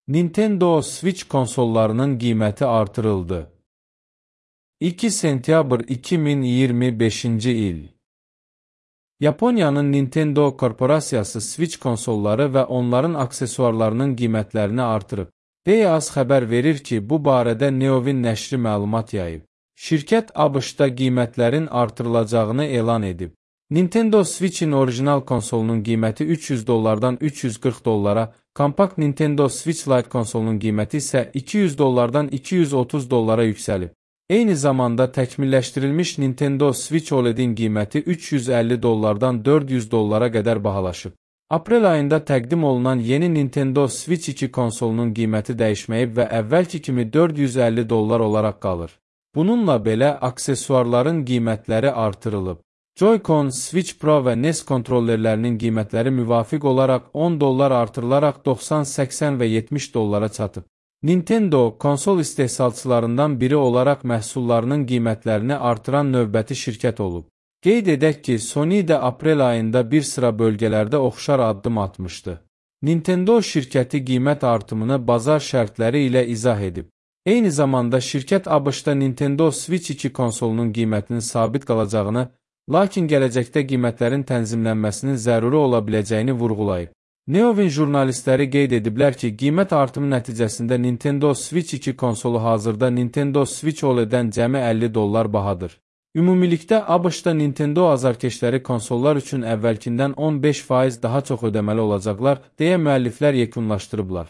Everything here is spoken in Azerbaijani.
Nintendo Switch konsollarının qiyməti artırıldı. 2 sentyabr 2025-ci il. Yaponiyanın Nintendo korporasiyası Switch konsolları və onların aksesuarlarının qiymətlərini artırıb. deyə AS xəbər verir ki, bu barədə Neovin nəşri məlumat yayıb. Şirkət ABŞ-da qiymətlərin artırılacağını elan edib. Nintendo Switch-in orijinal konsolunun qiyməti $300-dan $340, kompakt Nintendo Switch Lite konsolunun qiyməti isə $200-dan $230 yüksəlib. Eyni zamanda təkmilləşdirilmiş Nintendo Switch OLED-in qiyməti $350-dan $400 qədər bahalaşıb. Aprel ayında təqdim olunan yeni Nintendo Switch 2 konsolunun qiyməti dəyişməyib və əvvəlki kimi $450 olaraq qalır. Bununla belə, aksesuarların qiymətləri artırılıb. Joy-Con, Switch Pro və NES kontrollerlərinin qiymətləri müvafiq olaraq $10 artırılaraq 90, 80 və $70 çatıb. Nintendo, konsol istehsalçılarından biri olaraq məhsullarının qiymətlərini artıran növbəti şirkət olub. Qeyd edək ki, Sony də aprel ayında bir sıra bölgələrdə oxşar addım atmışdı. Nintendo şirkəti qiymət artımını bazar şərtləri ilə izah edib. Eyni zamanda şirkət ABŞ-da Nintendo Switch 2 konsolunun qiymətinin sabit qalacağını, lakin gələcəkdə qiymətlərin tənzimlənməsinin zəruri ola biləcəyini vurğulayıb. Neovin jurnalistləri qeyd ediblər ki, qiymət artımı nəticəsində Nintendo Switch 2 konsolu hazırda Nintendo Switch OLED-dən cəmi $50 bahadır. Ümumilikdə ABŞ-da Nintendo azarkeşləri konsollar üçün əvvəlkindən 15% daha çox ödəməli olacaqlar, deyə müəlliflər yekunlaşdırıblar.